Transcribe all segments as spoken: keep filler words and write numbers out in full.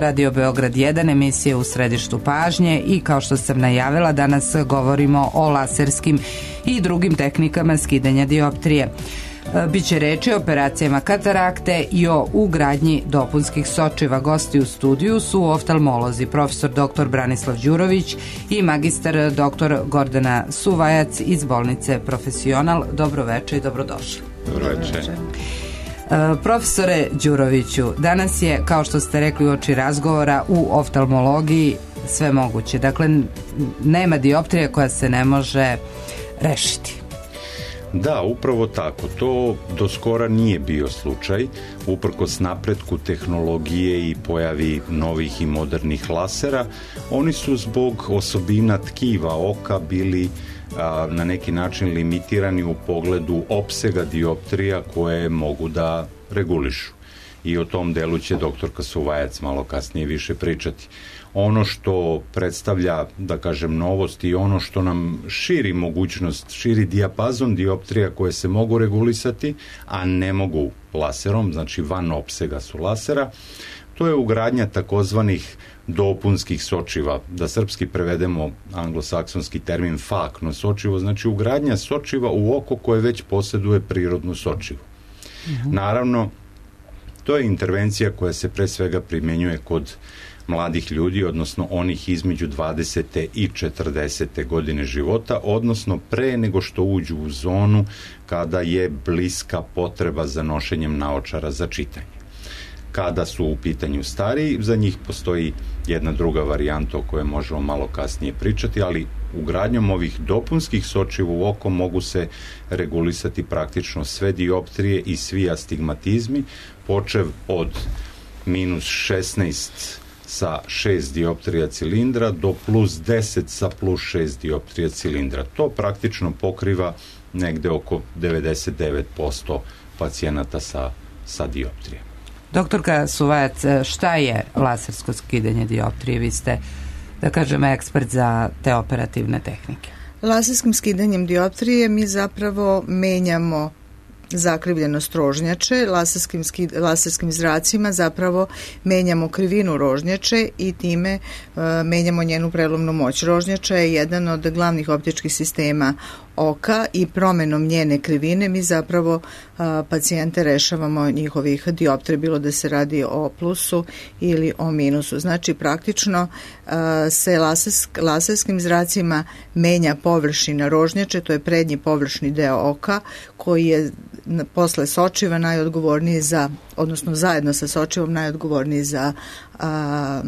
Radio Beograd jedan, emisija U središtu pažnje i kao što sam najavila, danas govorimo o laserskim i drugim tehnikama skidanja dioptrije. Biće reči o operacijama katarakte i o ugradnji dopunskih sočiva. Gosti u studiju su oftalmolozi, profesor doktor Branislav Đurović i magistar doktor Gordana Suvajac iz bolnice Profesional. Dobroveče i dobrodošli. Dobroveče. Profesore Đuroviću, danas je, kao što ste rekli uoči razgovora, u oftalmologiji sve moguće. Dakle, nema dioptrije koja se ne može rešiti. Da, upravo tako. To do skora nije bio slučaj. Uprkos napretku tehnologije i pojavi novih i modernih lasera, oni su zbog osobina tkiva oka bili a, na neki način limitirani u pogledu opsega dioptrija koje mogu da regulišu. I o tom delu će doktorka Suvajac malo kasnije više pričati. Ono što predstavlja, da kažem, novost i ono što nam širi mogućnost, širi dijapazon dioptrija koje se mogu regulisati, a ne mogu laserom, znači van opsega su lasera, to je ugradnja takozvanih dopunskih sočiva. Da srpski prevedemo anglosaksonski termin fakno sočivo, znači ugradnja sočiva u oko koje već posjeduje prirodnu sočivu. Uh-huh. Naravno, to je intervencija koja se pre svega primjenjuje kod mladih ljudi, odnosno onih između dvadesete i četrdesete godine života, odnosno pre nego što uđu u zonu kada je bliska potreba za nošenjem naočara za čitanje. Kada su u pitanju stariji, za njih postoji jedna druga varijanta o kojoj možemo malo kasnije pričati, ali ugradnjom ovih dopunskih sočiva u oko mogu se regulisati praktično sve dioptrije i svi astigmatizmi, počev od minus šesnaest sa šest dioptrija cilindra do plus deset sa plus šest dioptrija cilindra. To praktično pokriva negde oko devedeset devet posto pacijenata sa, sa dioptrije. Doktorka Suvajac, šta je lasersko skidanje dioptrije? Vi ste, da kažem, ekspert za te operativne tehnike. Laserskim skidanjem dioptrije mi zapravo menjamo zakrivljenost rožnjače, laserskim, skid, laserskim zracima zapravo menjamo krivinu rožnjače i time e, menjamo njenu prelomnu moć. Rožnjača je jedan od glavnih optičkih sistema oka i promenom njene krivine mi zapravo a, pacijente rešavamo njihovih dioptrija, bilo da se radi o plusu ili o minusu. Znači praktično a, se lasersk, laserskim zracima menja površina rožnjače, to je prednji površni deo oka koji je posle sočiva najodgovorniji za, odnosno zajedno sa sočivom najodgovorniji za a,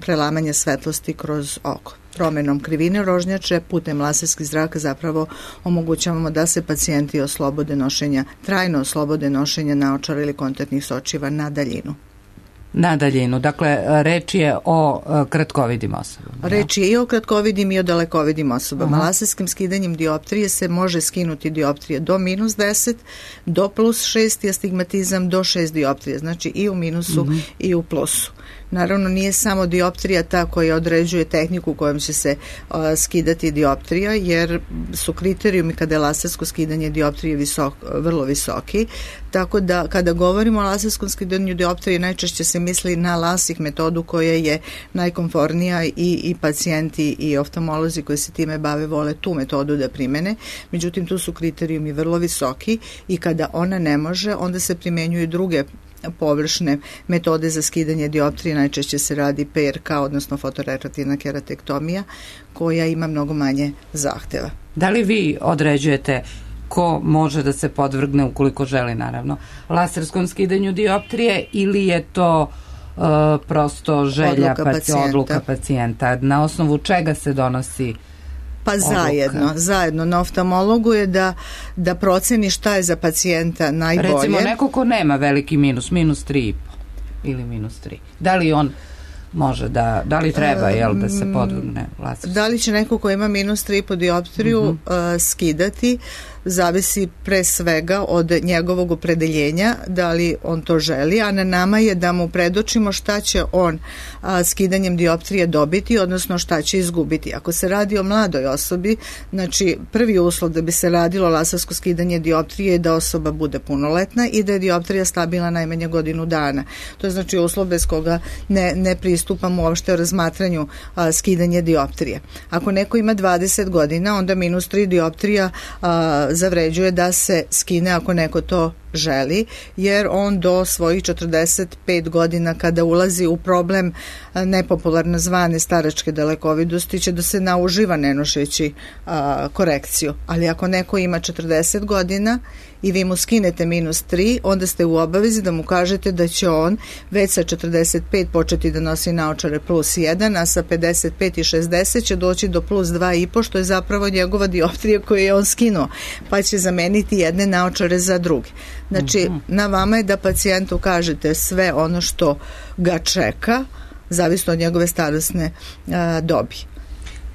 prelamanje svetlosti kroz oko. Promenom krivine rožnjače putem laserskih zraka zapravo omogućavamo da se pacijenti oslobode nošenja, trajno oslobode nošenja naočara ili kontaktnih sočiva na daljinu. Na daljinu, dakle reč je o uh, kratkovidim osobama. Reč je i o kratkovidim i o dalekovidim osobama. Aha. Laserskim skidanjem dioptrije se može skinuti dioptrije do minus deset, do plus šest i astigmatizam do šest dioptrije, znači i u minusu uh-huh. i u plusu. Naravno, nije samo dioptrija ta koja određuje tehniku kojom će se uh, skidati dioptrija, jer su kriterijumi kada je lasersko skidanje dioptrije visok, vrlo visoki, tako da kada govorimo o laserskom skidanju dioptrije najčešće se misli na lasik metodu koja je najkomfornija i, i pacijenti i oftalmolozi koji se time bave vole tu metodu da primene, međutim tu su kriterijumi vrlo visoki i kada ona ne može, onda se primenjuju druge površne metode za skidanje dioptrije, najčešće se radi P R K, odnosno fotorefraktivna keratektomija, koja ima mnogo manje zahteva. Da li vi određujete ko može da se podvrgne, ukoliko želi naravno, laserskom skidanju dioptrije ili je to uh, prosto želja odluka pacijenta. odluka pacijenta? Na osnovu čega se donosi Pa odluka? zajedno, zajedno. Na oftalmologu je da, da proceni šta je za pacijenta najbolje. Recimo neko ko nema veliki minus, minus tri i po ili minus tri. Da li on može da, da li treba jel, da se podvrgne laserskom? Da li će neko ko ima minus tri po dioptriju uh -huh. uh, skidati, zavisi pre svega od njegovog opredeljenja, da li on to želi, a na nama je da mu predočimo šta će on a, skidanjem dioptrije dobiti, odnosno šta će izgubiti. Ako se radi o mladoj osobi, znači prvi uslov da bi se radilo lasersko skidanje dioptrije je da osoba bude punoletna i da je dioptrija stabilna najmanje godinu dana. To je znači uslov bez koga ne, ne pristupamo uopšte o razmatranju a, skidanje dioptrije. Ako neko ima dvadeset godina, onda minus tri dioptrija a, zavređuje da se skine ako neko to želi, jer on do svojih četrdeset pet godina kada ulazi u problem nepopularno zvane staračke dalekovidosti će da se nauživa ne nošeći a, korekciju. Ali ako neko ima četrdeset godina i vi mu skinete minus tri, onda ste u obavezi da mu kažete da će on već sa četrdeset pet početi da nosi naočare plus jedan, a sa pedeset pet i šezdeset će doći do plus dva i po, što je zapravo njegova dioptrija koju je on skinuo, pa će zameniti jedne naočare za druge. Znači, uh-huh. na vama je da pacijentu kažete sve ono što ga čeka, zavisno od njegove starosne a, dobi.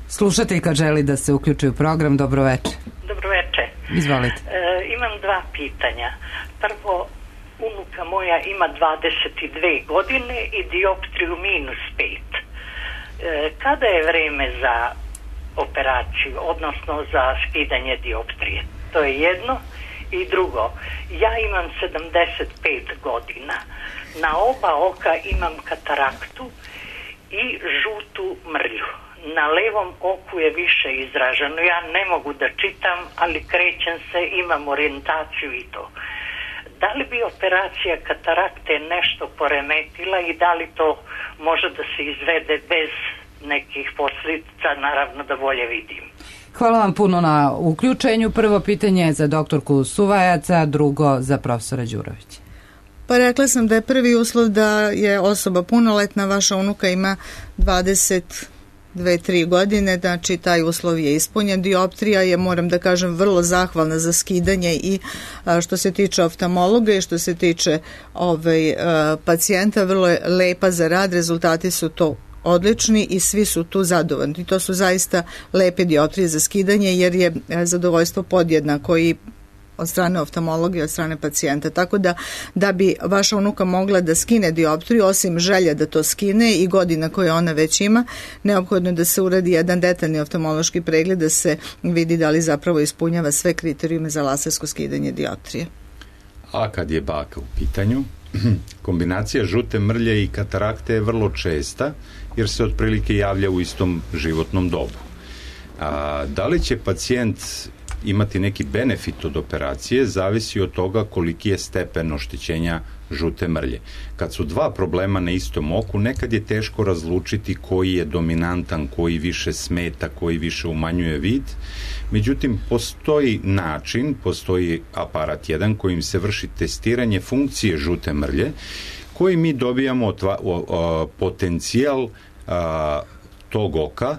Slušateljka želi da se uključi u program. Dobro večer. Dobro večer. Izvolite. E, imam dva pitanja. Prvo, unuka moja ima dvadeset dve godine i dioptriju minus pet. E, kada je vreme za operaciju, odnosno za skidanje dioptrije? To je jedno. I drugo, ja imam sedamdeset pet godina. Na oba oka imam kataraktu i žutu mrlju. Na levom oku je više izraženo. Ja ne mogu da čitam, ali krećem se, imam orijentaciju i to. Da li bi operacija katarakte nešto poremetila i da li to može da se izvede bez nekih posljedica, naravno da bolje vidim. Hvala vam puno na uključenju. Prvo pitanje je za doktorku Suvajaca, drugo za profesora Đurovića. Pa rekla sam da je prvi uslov da je osoba punoletna, vaša unuka ima dvadeset dve tri godine, znači taj uslov je ispunjen. Dioptrija je, moram da kažem, vrlo zahvalna za skidanje i a, što se tiče oftalmologa i što se tiče ovaj, a, pacijenta, vrlo je lepa za rad, rezultati su to odlični i svi su tu zadovoljni. To su zaista lepe dioptrije za skidanje jer je zadovoljstvo podjednako i od strane oftalmologa i od strane pacijenta. Tako da, da bi vaša unuka mogla da skine dioptriju, osim želja da to skine i godina koje ona već ima, neophodno je da se uradi jedan detaljni oftalmološki pregled da se vidi da li zapravo ispunjava sve kriterijume za lasersko skidanje dioptrije. A kad je baka u pitanju, kombinacija žute mrlje i katarakte je vrlo česta jer se otprilike javlja u istom životnom dobu. A, da li će pacijent imati neki benefit od operacije zavisi od toga koliki je stepen oštećenja žute mrlje. Kad su dva problema na istom oku, nekad je teško razlučiti koji je dominantan, koji više smeta, koji više umanjuje vid. Međutim, postoji način, postoji aparat jedan kojim se vrši testiranje funkcije žute mrlje, koji mi dobijamo otva, o, o, potencijal a, tog oka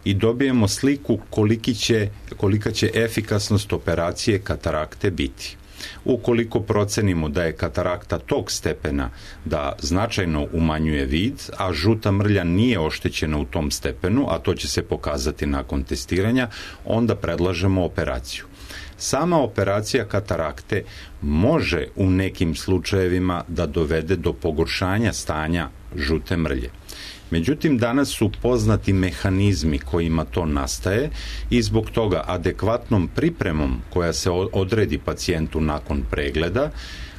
i dobijemo sliku koliki će, kolika će efikasnost operacije katarakte biti. Ukoliko procenimo da je katarakta tog stepena da značajno umanjuje vid, a žuta mrlja nije oštećena u tom stepenu, a to će se pokazati nakon testiranja, onda predlažemo operaciju. Sama operacija katarakte može u nekim slučajevima da dovede do pogoršanja stanja žute mrlje. Međutim, danas su poznati mehanizmi kojima to nastaje i zbog toga adekvatnom pripremom koja se odredi pacijentu nakon pregleda,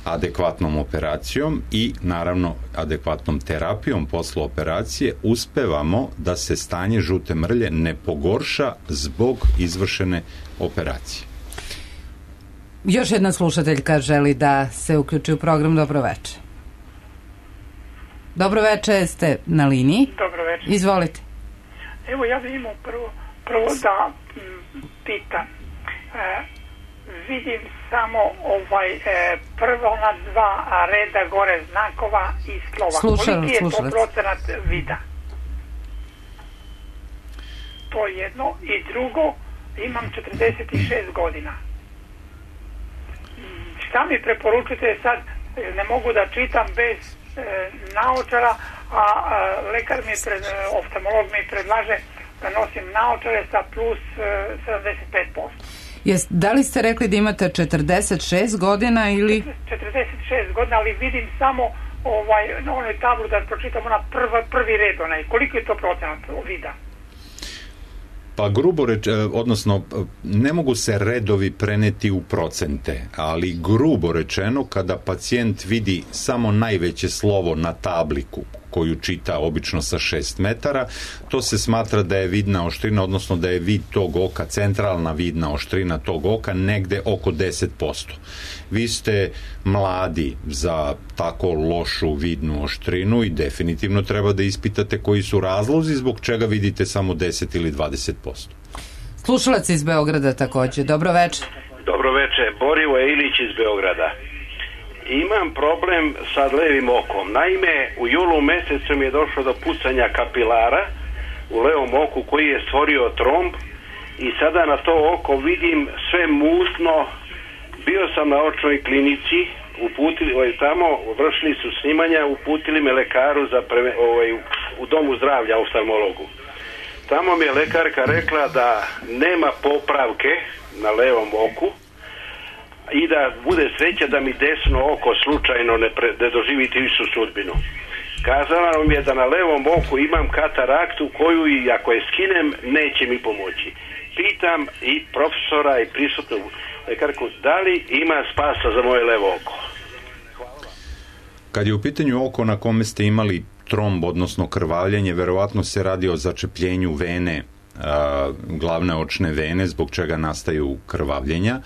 adekvatnom operacijom i naravno adekvatnom terapijom posle operacije uspevamo da se stanje žute mrlje ne pogorša zbog izvršene operacije. Još jedna slušateljka želi da se uključi u program. Dobro večer. Dobro večer, ste na liniji. Dobro večer. Izvolite. Evo, ja bih imao prvo, prvo da m, pitam. E, vidim samo ovaj e, prvo na dva reda gore znakova i slova. Slušam, Koliki je slušam. to procenat vida? To je jedno. I drugo, imam četrdeset šest godina. Šta mi preporučite sad? Ne mogu da čitam bez naočara, a, a lekar mi, pred, oftalmolog mi predlaže da nosim naočare sa plus sedamdeset pet posto. Jest, da li ste rekli da imate četrdeset šest godina ili... četrdeset šest godina, ali vidim samo ovaj, na onoj tablu da pročitamo na prva, prvi red onaj. Koliko je to procenat vida? Pa grubo reč, odnosno ne mogu se redovi preneti u procente, ali grubo rečeno kada pacijent vidi samo najveće slovo na tabliku koju čita obično sa šest metara, to se smatra da je vidna oštrina, odnosno da je vid tog oka, centralna vidna oštrina tog oka negde oko deset posto. Vi ste mladi za tako lošu vidnu oštrinu i definitivno treba da ispitate koji su razlozi zbog čega vidite samo deset ili dvadeset posto. Slušalac iz Beograda takođe. Dobro večer. Dobro večer. Borivo Ilić iz Beograda. Imam problem sa levim okom. Naime, u julu mesecu mi je došlo do pucanja kapilara u levom oku koji je stvorio tromb i sada na to oko vidim sve musno. Bio sam na očnoj klinici, uputili, ovaj, tamo vršili su snimanja, uputili me lekaru za preve, ovaj, u domu zdravlja, oftalmologu. Tamo mi je lekarka rekla da nema popravke na levom oku i da bude sreća da mi desno oko slučajno ne, pre, ne doživiti višu sudbinu. Kazala mi je da na levom oku imam kataraktu koju i ako je skinem neće mi pomoći. Pitam i profesora i prisutnu lekarku da li ima spasa za moje levo oko. Hvala. Kad je u pitanju oko na kome ste imali tromb, odnosno krvavljenje, verovatno se radi o začepljenju vene, a, glavne očne vene, zbog čega nastaju krvavljenja,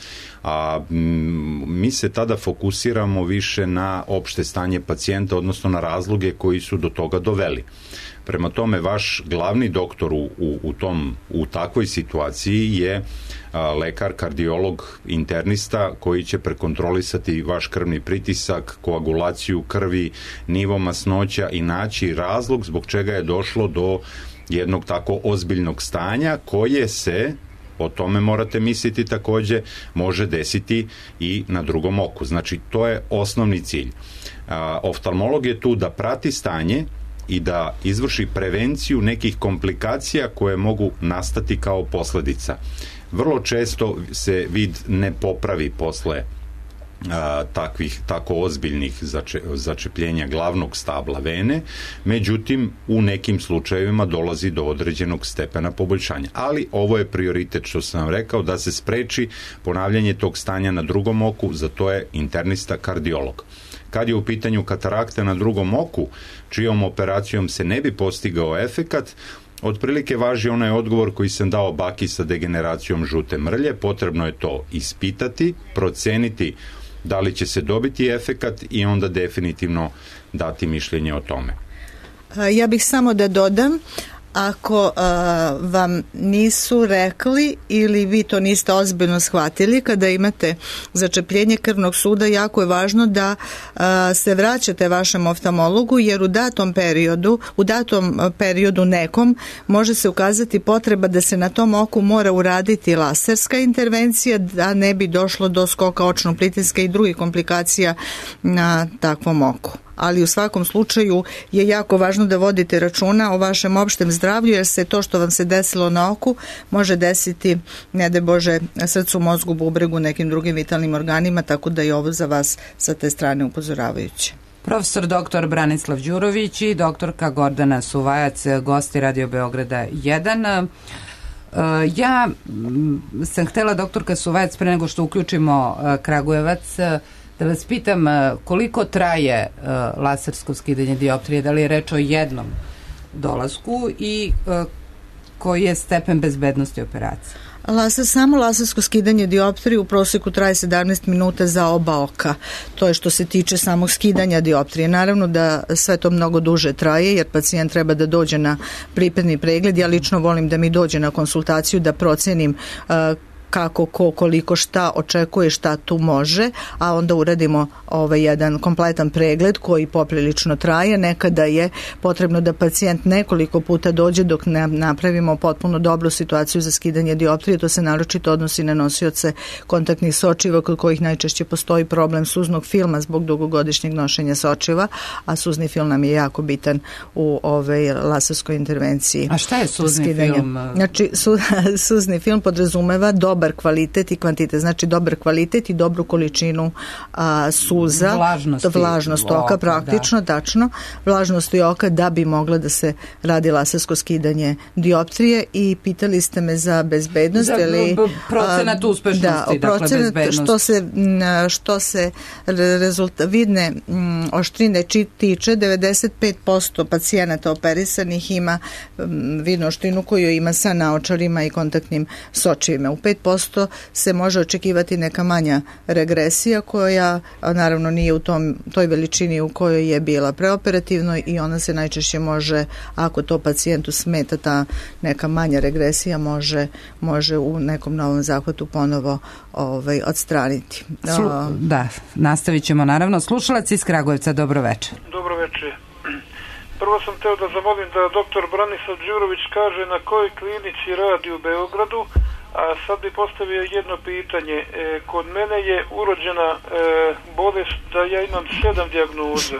a m, mi se tada fokusiramo više na opšte stanje pacijenta, odnosno na razloge koji su do toga doveli. Prema tome, vaš glavni doktor u, u, u, tom, u takvoj situaciji je a, lekar, kardiolog, internista koji će prekontrolisati vaš krvni pritisak, koagulaciju krvi, nivo masnoća i naći razlog zbog čega je došlo do jednog tako ozbiljnog stanja koje se, o tome morate misliti takođe, može desiti i na drugom oku. Znači, to je osnovni cilj. A, oftalmolog je tu da prati stanje i da izvrši prevenciju nekih komplikacija koje mogu nastati kao posledica. Vrlo često se vid ne popravi posle a, takvih, tako ozbiljnih zače, začepljenja glavnog stabla vene, međutim u nekim slučajevima dolazi do određenog stepena poboljšanja. Ali ovo je prioritet, što sam vam rekao, da se spreči ponavljanje tog stanja na drugom oku, za to je internista kardiolog. Kad je u pitanju katarakta na drugom oku, čijom operacijom se ne bi postigao efekat, otprilike važi onaj odgovor koji sam dao baki sa degeneracijom žute mrlje. Potrebno je to ispitati, proceniti da li će se dobiti efekat i onda definitivno dati mišljenje o tome. Ja bih samo da dodam, ako uh, vam nisu rekli ili vi to niste ozbiljno shvatili, kada imate začepljenje krvnog suda, jako je važno da uh, se vraćate vašem oftalmologu, jer u datom periodu, u datom periodu nekom može se ukazati potreba da se na tom oku mora uraditi laserska intervencija, da ne bi došlo do skoka očnog pritiska i drugih komplikacija na takvom oku. Ali u svakom slučaju je jako važno da vodite računa o vašem opštem zdravlju, jer se to što vam se desilo na oku može desiti, ne daj Bože, srcu, mozgu, bubregu, nekim drugim vitalnim organima, tako da je ovo za vas sa te strane upozoravajuće. Profesor doktor Branislav Đurović i doktorka Gordana Suvajac, gosti Radio Beograda jedan. Ja sam htela, doktorka Suvajac, pre nego što uključimo Kragujevac, da vas pitam koliko traje uh, lasersko skidanje dioptrije, da li je reč o jednom dolasku i uh, koji je stepen bezbednosti operacije? Laser, samo lasersko skidanje dioptrije u proseku traje sedamnaest minuta za oba oka. To je što se tiče samog skidanja dioptrije. Naravno da sve to mnogo duže traje, jer pacijent treba da dođe na pripremni pregled. Ja lično volim da mi dođe na konsultaciju da procenim uh, kako, ko, koliko, šta očekuje, šta tu može, a onda uradimo ovaj jedan kompletan pregled koji poprilično traje. Nekada je potrebno da pacijent nekoliko puta dođe dok ne napravimo potpuno dobru situaciju za skidanje dioptrije. To se naročito odnosi na nosioce kontaktnih sočiva kod kojih najčešće postoji problem suznog filma zbog dugogodišnjeg nošenja sočiva, a suzni film nam je jako bitan u ovoj laserskoj intervenciji. A šta je suzni skidanja. film? Znači, su, suzni film podrazumeva dobar kvalitet i kvantitet. Znači, dobar kvalitet i dobru količinu a, suza. Vlažnosti. Vlažnost oka, oka praktično, da. Tačno. Vlažnosti oka da bi mogla da se radi lasersko skidanje dioptrije i pitali ste me za bezbednost. Za ili, procenat uspešnosti, da, dakle procenat, bezbednost. Što se, što se rezulta, vidne m, oštrine tiče, devedeset pet posto pacijenata operisanih ima m, vidnu oštrinu koju ima sa naočarima i kontaktnim sočivima. U pet posto se može očekivati neka manja regresija koja naravno nije u tom, toj veličini u kojoj je bila preoperativno i ona se najčešće može, ako to pacijentu smeta ta neka manja regresija, može, može u nekom novom zahvatu ponovo ovaj, odstraniti. Slu, da, nastavit ćemo naravno. Slušalac iz Kragujevca, dobro večer. Dobro večer. Prvo sam teo da zamolim da doktor Branislav Đurović kaže na kojoj klinici radi u Beogradu, a sad bi postavio jedno pitanje. E, kod mene je urođena e, bolest da ja imam sedam dijagnoza.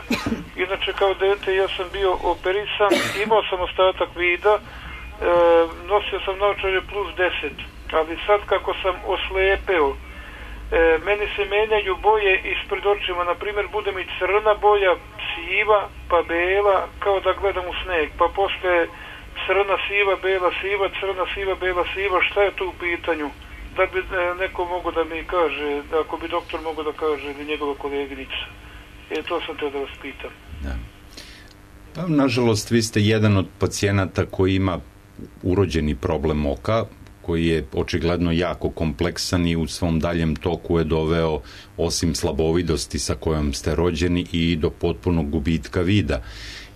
Inače kao dete ja sam bio operisan, imao sam ostatak vida, e, nosio sam naočare plus deset, ali sad kako sam oslepeo, e, meni se menjaju boje ispred očima, na primjer bude mi crna boja, siva, pa bela, kao da gledam u sneg, pa posle crna, siva, bela, siva, crna, siva, bela, siva, šta je tu u pitanju? Da bi neko mogo da mi kaže, ako bi doktor mogo da kaže, ili njegova koleginica. E, to sam teo da vas pitam. Da. Pa, nažalost, vi ste jedan od pacijenata koji ima urođeni problem oka, koji je očigledno jako kompleksan i u svom daljem toku je doveo, osim slabovidosti sa kojom ste rođeni, i do potpunog gubitka vida.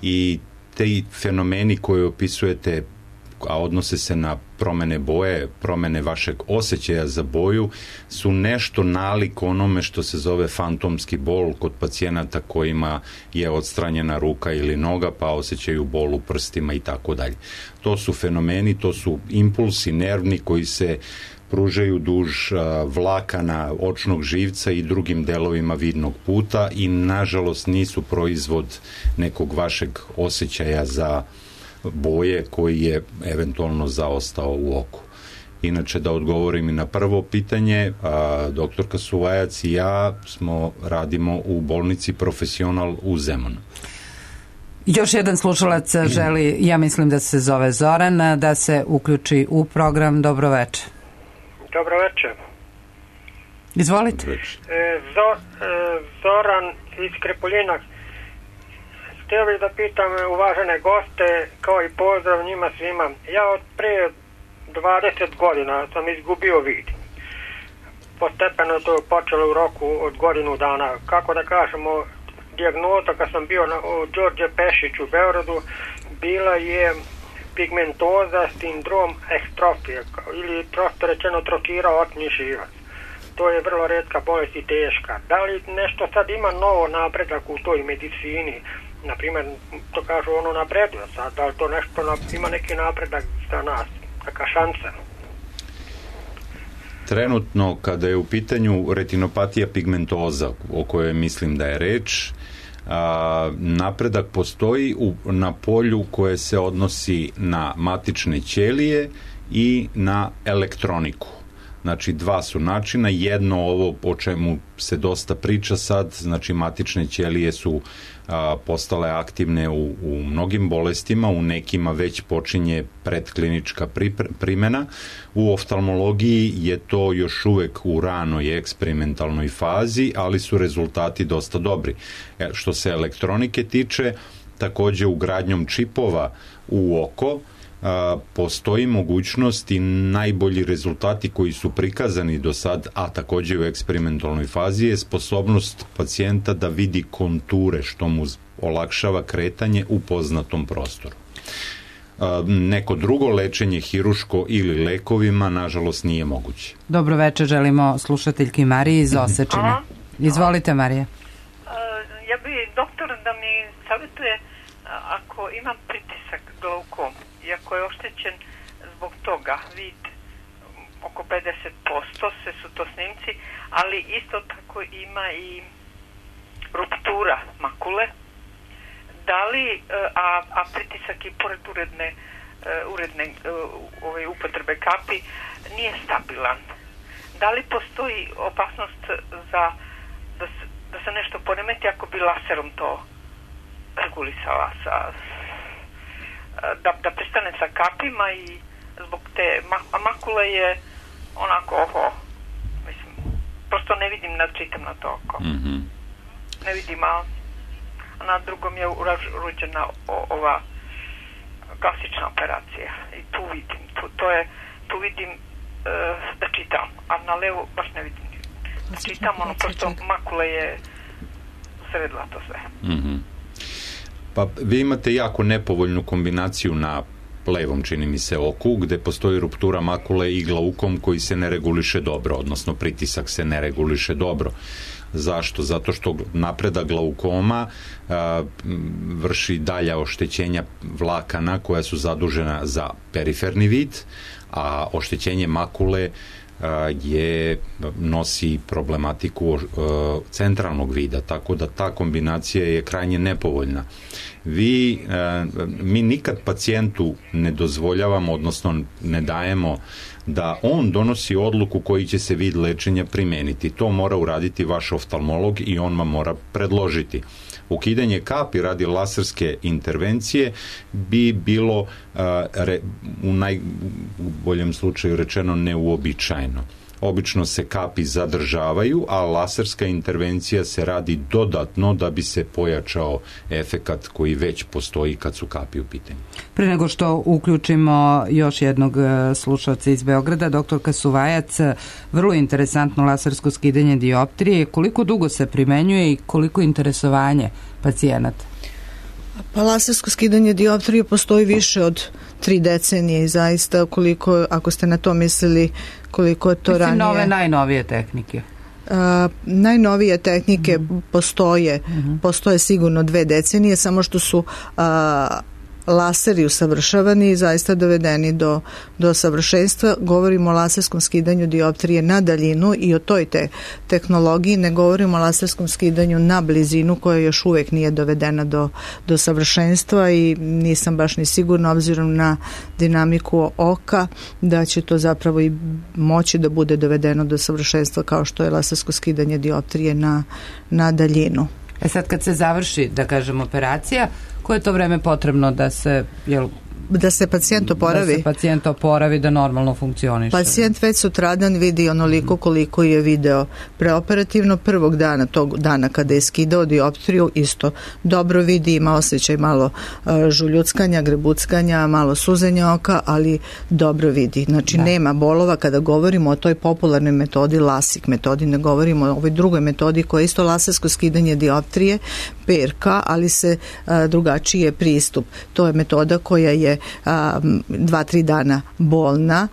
I te fenomeni koje opisujete, a odnose se na promene boje, promene vašeg osjećaja za boju, su nešto nalik onome što se zove fantomski bol kod pacijenata kojima je odstranjena ruka ili noga, pa osjećaju bol u prstima i tako dalje. To su fenomeni, to su impulsi nervni koji se pružaju duž vlakana očnog živca i drugim delovima vidnog puta i nažalost nisu proizvod nekog vašeg osjećaja za boje koji je eventualno zaostao u oku. Inače, da odgovorim i na prvo pitanje, a, doktorka Suvajac i ja smo radimo u bolnici Profesional u Zemunu. Još jedan slušalac želi, ja mislim da se zove Zoran, da se uključi u program. Dobro večer. Dobro večer. Izvolite. E, Zo, e, Zoran iz Krepoljina. Htio bih da pitam uvažene goste, kao i pozdrav njima svima. Ja od prije dvadeset godina sam izgubio vid. Postepeno to je počelo u roku od godinu dana. Kako da kažemo, dijagnoza kad sam bio na, u Đorđe Pešić u Beogradu bila je pigmentoza, sindrom ekstrofije ili prosto rečeno trokira očni živac. To je vrlo retka bolest i teška. Da li nešto sad ima novo napredak u toj medicini? Naprimjer, to kažu ono napreduje sad, da li to nešto ima neki napredak za nas, neka šansa? Trenutno, kada je u pitanju retinopatija pigmentoza, o kojoj mislim da je reč, a, napredak postoji u, na polju koje se odnosi na matične ćelije i na elektroniku. Znači, dva su načina, jedno ovo o čemu se dosta priča sad, znači matične ćelije su a, postale aktivne u, u mnogim bolestima, u nekima već počinje predklinička primjena. U oftalmologiji je to još uvek u ranoj eksperimentalnoj fazi, ali su rezultati dosta dobri. E, što se elektronike tiče, takođe ugradnjom čipova u oko, A, postoji mogućnost i najbolji rezultati koji su prikazani do sad, a takođe u eksperimentalnoj fazi, je sposobnost pacijenta da vidi konture, što mu olakšava kretanje u poznatom prostoru. neko drugo lečenje, hiruško ili lekovima, nažalost nije moguće. Dobro večer, želimo slušateljki Mariji iz Osečine. Izvolite, Marija. Ja bi doktor da mi savjetuje, ako imam pritisak glaukom i ako je oštećen zbog toga vid oko pedeset posto, sve su to snimci, ali isto tako ima i ruptura makule, da li, a, a pritisak i pored uredne, uredne ove upotrebe kapi nije stabilan. Da li postoji opasnost za da se, da se nešto poremeti ako bi laserom to regulisala, sa, da, da pristane sa kapima i zbog te a makule je onako oho, mislim, prosto ne vidim, ne čitam na to oko. Mm-hmm. Ne vidim, a na drugom je urađena ova klasična operacija i tu vidim, tu, to je, tu vidim uh, da čitam, a na levo baš ne vidim da čitam, ono prosto makule je sredila to sve. Mm-hmm. Pa vi imate jako nepovoljnu kombinaciju na levom, čini mi se, oku, gde postoji ruptura makule i glaukom koji se ne reguliše dobro, odnosno pritisak se ne reguliše dobro. Zašto? Zato što napreda glaukoma a, vrši dalja oštećenja vlakana koja su zadužena za periferni vid, a oštećenje makule a, je nosi problematiku a, centralnog vida, tako da ta kombinacija je krajnje nepovoljna. Vi, a, mi nikad pacijentu ne dozvoljavamo, odnosno ne dajemo da on donosi odluku koji će se vid lečenja primeniti. To mora uraditi vaš oftalmolog i on vam mora predložiti. Ukidanje kapi radi laserske intervencije bi bilo uh, re, u najboljem slučaju rečeno neuobičajeno. Obično se kapi zadržavaju, a laserska intervencija se radi dodatno da bi se pojačao efekat koji već postoji kad su kapi u pitanju. Pre nego što uključimo još jednog slušalca iz Beograda, doktorka Suvajac, vrlo interesantno lasersko skidanje dioptrije. Koliko dugo se primenjuje i koliko interesovanje pacijenata? Pa lasersko skidanje dioptrije postoji više od tri decenije i zaista koliko, ako ste na to mislili, koliko je to Mislim, ranije... nove, najnovije tehnike. Uh, najnovije tehnike mm-hmm. postoje, mm-hmm. postoje sigurno dve decenije, samo što su uh, laseri usavršavani i zaista dovedeni do, do savršenstva. Govorimo o laserskom skidanju dioptrije na daljinu i o toj te tehnologiji, ne govorimo o laserskom skidanju na blizinu koja još uvek nije dovedena do, do savršenstva i nisam baš ni sigurna obzirom na dinamiku oka da će to zapravo i moći da bude dovedeno do savršenstva kao što je lasersko skidanje dioptrije na, na daljinu. E sad kad se završi, da kažem, operacija, koje je to vreme potrebno da se, jel, da se pacijent oporavi? Da se pacijent oporavi, da normalno funkcioniše. Pacijent već sutradan vidi onoliko koliko je video preoperativno. Prvog dana, tog dana kada je skidao dioptriju, isto dobro vidi, ima osjećaj malo uh, žuljuckanja, grebuckanja, malo suzenja oka, ali dobro vidi. Znači, da. Nema bolova. Kada govorimo o toj popularnoj metodi, LASIK metodi, ne govorimo o ovoj drugoj metodi koja je isto lasersko skidanje dioptrije, P R K, ali se a, drugačiji je pristup. To je metoda koja je a, dva, tri dana bolna,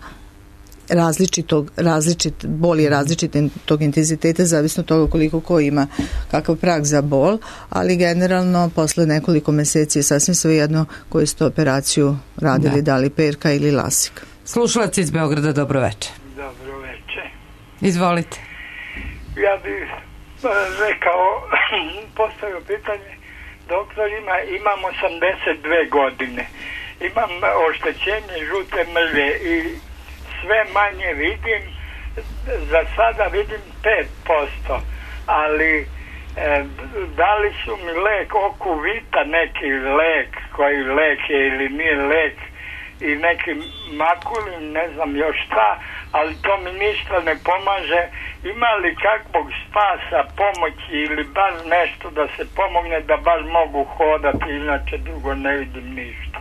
različitog, različit, bol je različit tog intenziteta, zavisno od toga koliko ko ima kakav prag za bol, ali generalno posle nekoliko meseci je sasvim svejedno koju ste operaciju radili, da, da li P R K ili LASIK. Slušalac iz Beograda, dobro večer. Dobro večer. Izvolite. Ja bih rekao, postavio pitanje, doktor, ima, imam osamdeset dve godine, imam oštećenje žute mrlje i sve manje vidim, za sada vidim pet posto, ali e, da li su mi lek okuvita, neki lek koji lek je ili nije lek i neki makuli, ne znam još šta, ali to mi ništa ne pomaže. Ima li kakvog spasa, pomoći ili bar nešto da se pomogne da bar mogu hodati, inače drugo ne vidim ništa.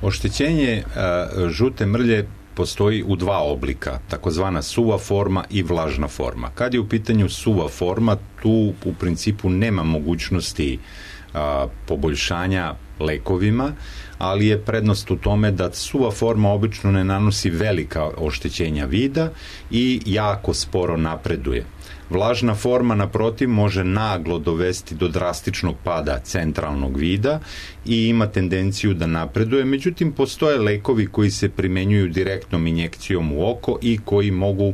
Oštećenje a, žute mrlje postoji u dva oblika, takozvana suva forma i vlažna forma. Kad je u pitanju suva forma, tu u principu nema mogućnosti a, poboljšanja lekovima, ali je prednost u tome da suva forma obično ne nanosi velika oštećenja vida i jako sporo napreduje. Vlažna forma, naprotiv, može naglo dovesti do drastičnog pada centralnog vida i ima tendenciju da napreduje. Međutim, postoje lekovi koji se primenjuju direktnom injekcijom u oko i koji mogu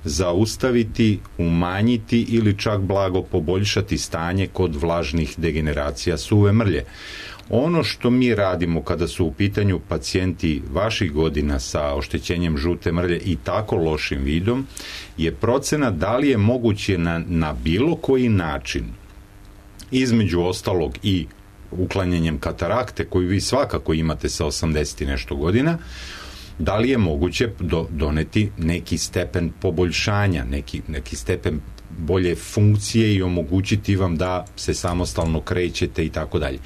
zaustaviti, umanjiti ili čak blago poboljšati stanje kod vlažnih degeneracija suve mrlje. Ono što mi radimo kada su u pitanju pacijenti vaših godina sa oštećenjem žute mrlje i tako lošim vidom je procena da li je moguće na, na bilo koji način, između ostalog i uklanjanjem katarakte koju vi svakako imate sa osamdeset i nešto godina, da li je moguće do, doneti neki stepen poboljšanja, neki, neki stepen bolje funkcije i omogućiti vam da se samostalno krećete i tako dalje.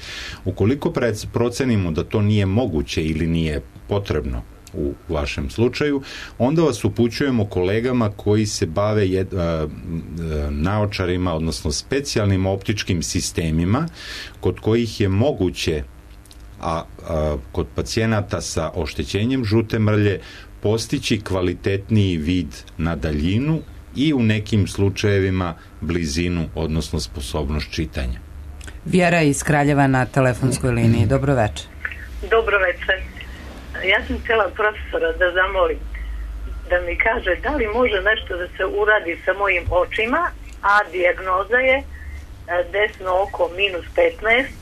Ukoliko procenimo da to nije moguće ili nije potrebno u vašem slučaju, onda vas upućujemo kolegama koji se bave jed, a, naočarima, odnosno specijalnim optičkim sistemima kod kojih je moguće a, a kod pacijenata sa oštećenjem žute mrlje postići kvalitetniji vid na daljinu i u nekim slučajevima blizinu, odnosno sposobnost čitanja. Vjera iz Kraljeva na telefonskoj liniji. Dobro večer. Dobro večer. Ja sam htjela profesora da zamolim da mi kaže da li može nešto da se uradi sa mojim očima, a dijagnoza je desno oko minus petnaest,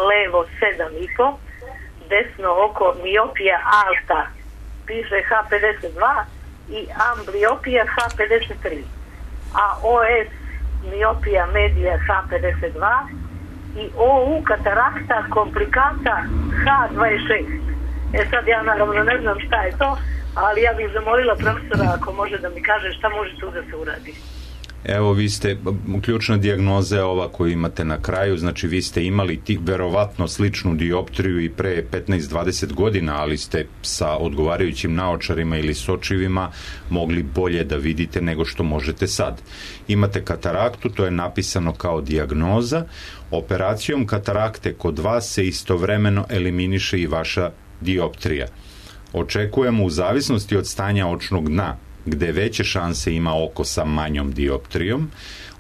levo sedam i po, desno oko miopija alta, piše H pedeset dva, i ambliopija H pedeset tri, a O S miopija medija H pedeset dva i O U katarakta komplikata H dvadeset šest. E sad ja naravno ne znam šta je to, ali ja bih zamolila profesora ako može da mi kaže šta može tu da se uradi. Evo, vi ste, ključna dijagnoza je ova koju imate na kraju, znači vi ste imali ti, verovatno sličnu dioptriju i pre petnaest dvadeset godina, ali ste sa odgovarajućim naočarima ili sočivima mogli bolje da vidite nego što možete sad. Imate kataraktu, to je napisano kao dijagnoza. Operacijom katarakte kod vas se istovremeno eliminiše i vaša dioptrija. Očekujemo u zavisnosti od stanja očnog dna, gde veće šanse ima oko sa manjom dioptrijom,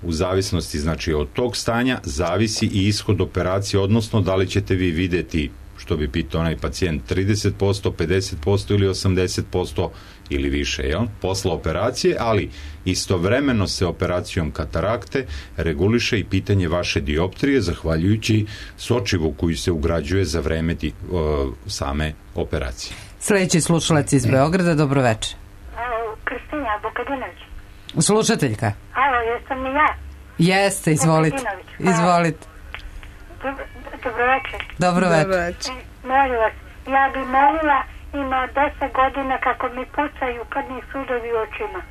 u zavisnosti znači od tog stanja zavisi i ishod operacije, odnosno da li ćete vi videti, što bi pitao onaj pacijent, trideset posto, pedeset posto ili osamdeset posto ili više, jel? Posla operacije, ali istovremeno se operacijom katarakte reguliše i pitanje vaše dioptrije, zahvaljujući sočivu koju se ugrađuje za vreme di, o, same operacije. Sljedeći slušalac iz Beograda, dobro večer. Kristina Bukadinović. Slušateljka. Alo, jesam li ja? Jeste, izvolite. Izvolite. Dobro, dobro večer. Dobro večer. Molim vas, ja bi molila, ima deset godina kako mi pucaju krvni sudovi u očima.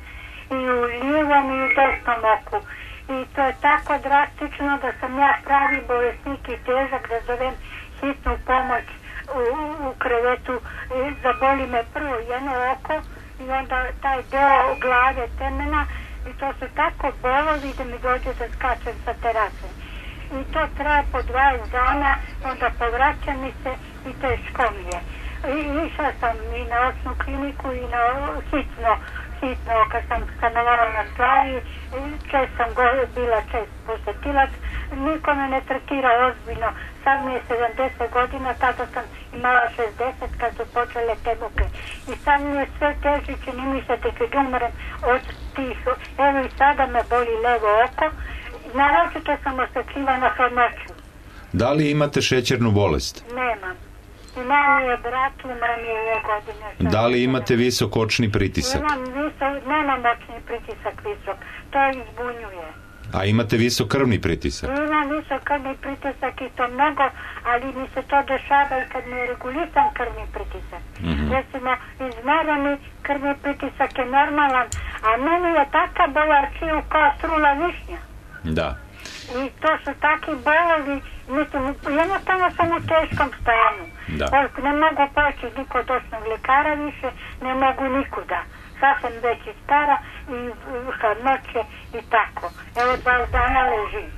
I u lijevom i u desnom oku. I to je tako drastično da sam ja pravi bolesnik i težak da zovem hitnu pomoć u, u krevetu. I zaboli me prvo jedno oko i onda taj deo glave, temena, i to su tako bolovi da mi dođe da skačem sa terase. I to traje po dvadeset dana, onda povraća mi se i teško mi je. I išla sam i na očnu kliniku i na hitno, hitno kad sam stanovala na Slavi, čest sam go, bila čest posetilac, niko me ne tretira ozbiljno. Sad mi je sedamdeset godina, tada sam imala šezdeset kad su počele te buke. I sad mi je sve teži, čini mi se tek da umrem od tih. Evo i sada me boli levo oko. Naročito sam osekljivana hladnoću. Da li imate šećernu bolest? Nemam. Imam je brat, umrem je ove godine. Da li imate visok očni pritisak? Imam visok, nemam očni pritisak visok. To izbunjuje. A imate visok krvni pritisak? Imam visok krvni pritisak i to mnogo, ali mi se to dešava i kad mi je regulisan krvni pritisak. Mm-hmm. Recimo, izmereni krvni pritisak je normalan, a meni je taka bojačiju kao trula višnja. Da. I to su takvi bolovi, mislim, jednostavno sam u teškom stanju. Da. Ne mogu poći ni kod očnog ljekara više, ne mogu nikuda. Sad sam već i stara i hladnoće i tako. Evo dva dana ležim.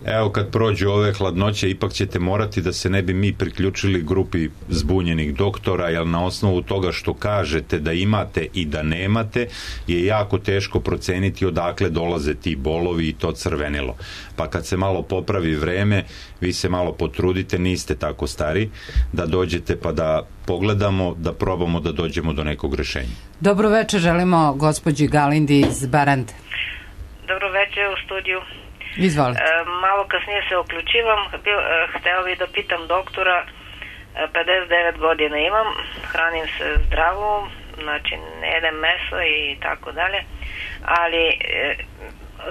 Evo, kad prođu ove hladnoće, ipak ćete morati, da se ne bi mi priključili grupi zbunjenih doktora, jer na osnovu toga što kažete da imate i da nemate, je jako teško proceniti odakle dolaze ti bolovi i to crvenilo. Pa kad se malo popravi vreme, vi se malo potrudite, niste tako stari, da dođete pa da pogledamo, da probamo da dođemo do nekog rešenja. Dobro večer, želimo gospođi Galindi iz Barante. Dobro večer u studiju. Izvolite. E, malo kasnije se uključivam. Bil, e, hteo bih da pitam doktora, e, pedeset devet godina imam, hranim se zdravo, znači ne jedem meso i tako dalje, ali e,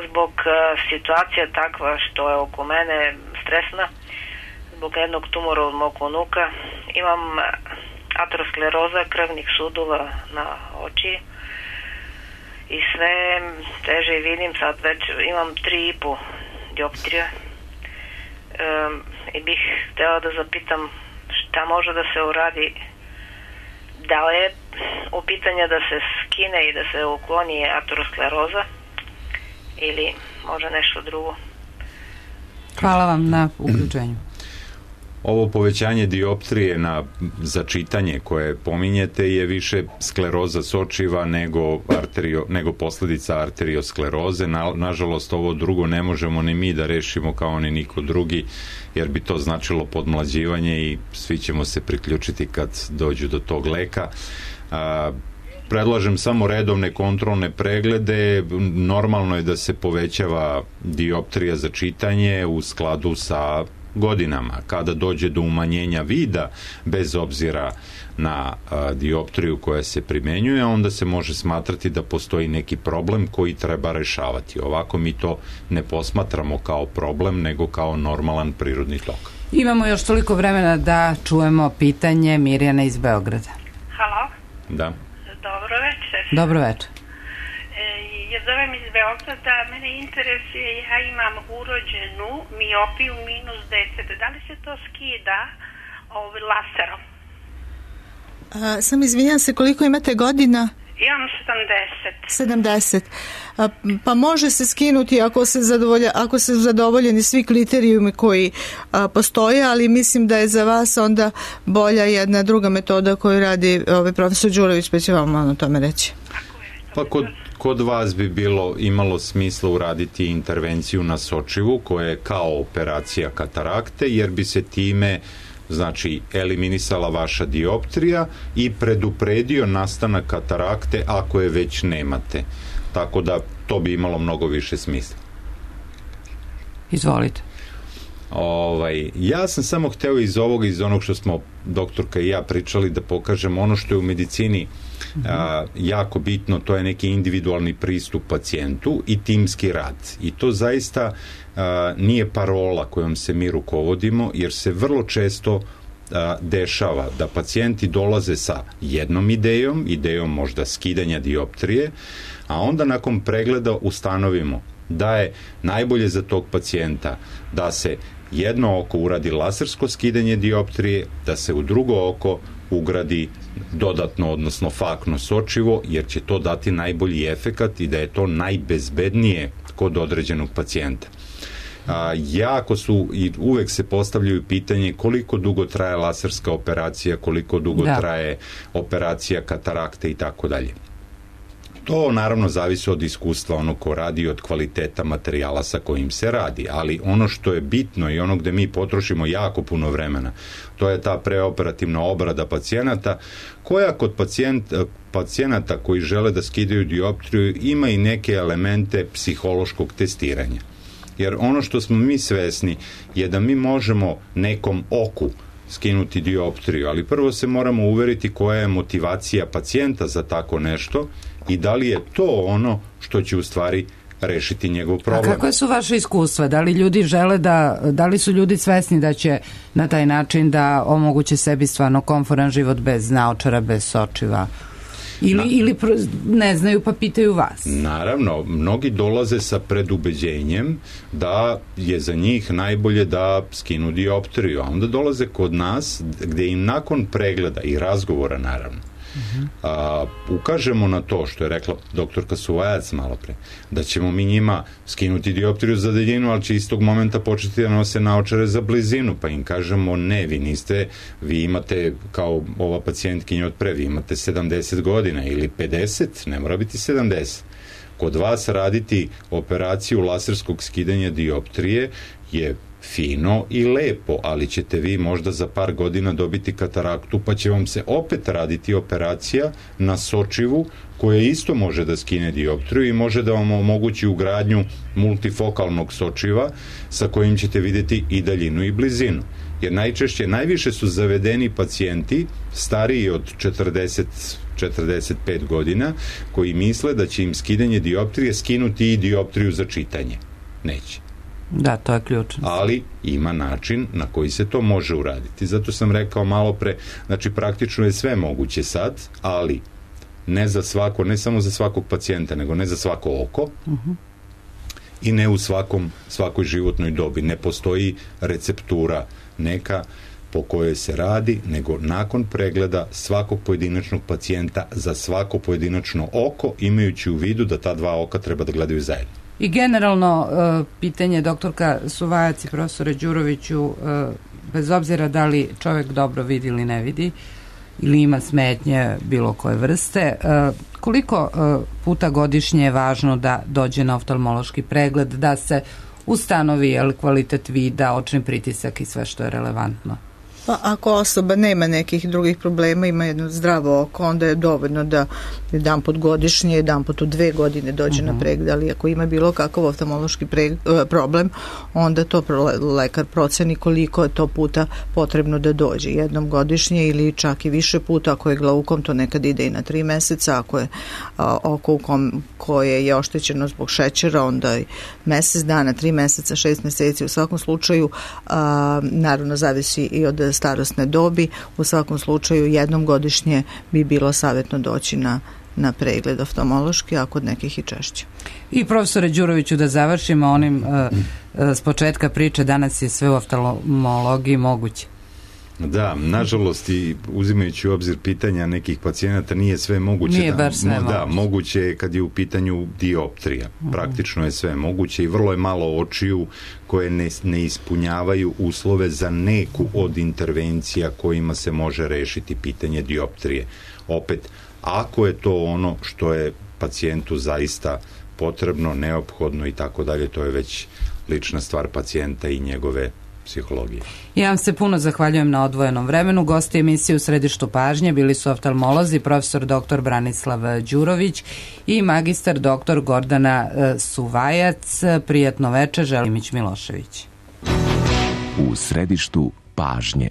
zbog e, situacija takva što je oko mene stresna, zbog jednog tumora od mog unuka, imam ateroskleroza krvnih sudova na oči i sve teže vidim, sad već imam tri i po dioptrija um, i bih htjela da zapitam šta može da se uradi, da li je u pitanje da se skine i da se ukloni ateroskleroza ili može nešto drugo. Hvala vam na uključenju. Ovo povećanje dioptrije na za čitanje koje pominjete je više skleroza sočiva nego, arterio, nego posljedica arterioskleroze. Na, nažalost, ovo drugo ne možemo ni mi da rešimo kao ni niko drugi, jer bi to značilo podmlađivanje i svi ćemo se priključiti kad dođu do tog leka. A, predlažem samo redovne kontrolne preglede. Normalno je da se povećava dioptrija za čitanje u skladu sa godinama. Kada dođe do umanjenja vida, bez obzira na a, dioptriju koja se primenjuje, onda se može smatrati da postoji neki problem koji treba rešavati. Ovako mi to ne posmatramo kao problem, nego kao normalan prirodni tok. Imamo još toliko vremena da čujemo pitanje Mirjana iz Beograda. Halo? Da. Dobro večer. Dobro večer. Ja zovem iz Beograda, mene interesuje, ja imam urođenu miopiju minus deset, da li se to skida ovaj, laserom? A, sam izvinjam se, koliko imate godina? Imam sedamdeset. sedamdeset. A, pa može se skinuti ako se zadovolja, ako se zadovoljeni svi kriterijumi koji a, postoje, ali mislim da je za vas onda bolja jedna druga metoda koju radi ovaj profesor Đurović, pa će vam malo o tome reći. Pa kod, kod vas bi bilo imalo smisla uraditi intervenciju na sočivu koja je kao operacija katarakte, jer bi se time znači eliminisala vaša dioptrija i predupredio nastanak katarakte ako je već nemate. Tako da to bi imalo mnogo više smisla. Izvolite. Ovaj, ja sam samo hteo iz ovoga, iz onog što smo doktorka i ja pričali, da pokažem ono što je u medicini a, jako bitno, to je neki individualni pristup pacijentu i timski rad. I to zaista a, nije parola kojom se mi rukovodimo, jer se vrlo često a, dešava da pacijenti dolaze sa jednom idejom, idejom možda skidanja dioptrije, a onda nakon pregleda ustanovimo da je najbolje za tog pacijenta da se jedno oko uradi lasersko skidanje dioptrije, da se u drugo oko ugradi dodatno, odnosno fakno sočivo, jer će to dati najbolji efekat i da je to najbezbednije kod određenog pacijenta. A, jako su i uvek se postavljaju pitanje koliko dugo traje laserska operacija, koliko dugo da. traje operacija katarakte i tako dalje. To naravno zavisi od iskustva onog ko radi i od kvaliteta materijala sa kojim se radi, ali ono što je bitno i ono gde mi potrošimo jako puno vremena, to je ta preoperativna obrada pacijenata, koja kod pacijent, pacijenata koji žele da skidaju dioptriju ima i neke elemente psihološkog testiranja. Jer ono što smo mi svesni je da mi možemo nekom oku skinuti dioptriju, ali prvo se moramo uveriti koja je motivacija pacijenta za tako nešto i da li je to ono što će u stvari rešiti njegov problem. A kakve su vaše iskustva? Da li ljudi žele da, da li su ljudi svesni da će na taj način da omoguće sebi stvarno komforan život bez naočara, bez sočiva? Ili, Na, ili ne znaju pa pitaju vas? Naravno, mnogi dolaze sa predubeđenjem da je za njih najbolje da skinu dioptriju, a onda dolaze kod nas gde im nakon pregleda i razgovora naravno a, ukažemo na to što je rekla doktorka Suvajac malo pre, da ćemo mi njima skinuti dioptriju za daljinu, ali će istog momenta početi da nose naočare za blizinu, pa im kažemo ne, vi niste, vi imate kao ova pacijentkinja od pre, vi imate sedamdeset godina ili pedeset, ne mora biti sedamdeset. Kod vas raditi operaciju laserskog skidanja dioptrije je fino i lepo, ali ćete vi možda za par godina dobiti kataraktu, pa će vam se opet raditi operacija na sočivu koja isto može da skine dioptriju i može da vam omogući ugradnju multifokalnog sočiva sa kojim ćete videti i daljinu i blizinu. Jer najčešće, najviše su zavedeni pacijenti stariji od četrdeset četrdeset pet godina koji misle da će im skidanje dioptrije skinuti i dioptriju za čitanje. Neće. Da, to je ključno. Ali ima način na koji se to može uraditi. Zato sam rekao malo pre, znači praktično je sve moguće sad, ali ne za svako, ne samo za svakog pacijenta, nego ne za svako oko uh-huh. i ne u svakom, svakoj životnoj dobi. Ne postoji receptura neka po kojoj se radi, nego nakon pregleda svakog pojedinačnog pacijenta za svako pojedinačno oko, imajući u vidu da ta dva oka treba da gledaju zajedno. I generalno, pitanje doktorka Suvajac i profesore Đuroviću, bez obzira da li čovjek dobro vidi ili ne vidi, ili ima smetnje bilo koje vrste, koliko puta godišnje je važno da dođe na oftalmološki pregled, da se ustanovi kvalitet vida, očni pritisak i sve što je relevantno? Pa ako osoba nema nekih drugih problema, ima jedno zdravo oko, onda je dovoljno da jedan put godišnje, jedan put u dve godine dođe uh-huh. na pregled, ali ako ima bilo kakav oftalmološki pre, problem, onda to lekar proceni koliko je to puta potrebno da dođe, jednom godišnje ili čak i više puta. Ako je glaukom, to nekad ide i na tri meseca, ako je a, oko u kom, koje je oštećeno zbog šećera, onda i mesec dana, tri meseca, šest meseci, u svakom slučaju, a, naravno zavisi i od starosne dobi, u svakom slučaju jednom godišnje bi bilo savjetno doći na, na pregled oftalmološki, a kod nekih i češće. I profesore Đuroviću, da završimo onim uh, uh, s početka priče, danas je sve u oftalmologiji moguće. Da, nažalost, i uzimajući u obzir pitanja nekih pacijenata, nije sve moguće. Nije da, baš sve da, moguće. Moguće je kad je u pitanju dioptrija. Uh-huh. Praktično je sve moguće i vrlo je malo očiju koje ne, ne ispunjavaju uslove za neku od intervencija kojima se može rešiti pitanje dioptrije. Opet, ako je to ono što je pacijentu zaista potrebno, neophodno i tako dalje, to je već lična stvar pacijenta i njegove psihologije. Ja vam se puno zahvaljujem na odvojenom vremenu. Gosti emisije U središtu pažnje bili su oftalmolozi profesor doktor Branislav Đurović i magistar doktor Gordana Suvajac. Prijatno večer, želim Mić Milošević. U središtu pažnje.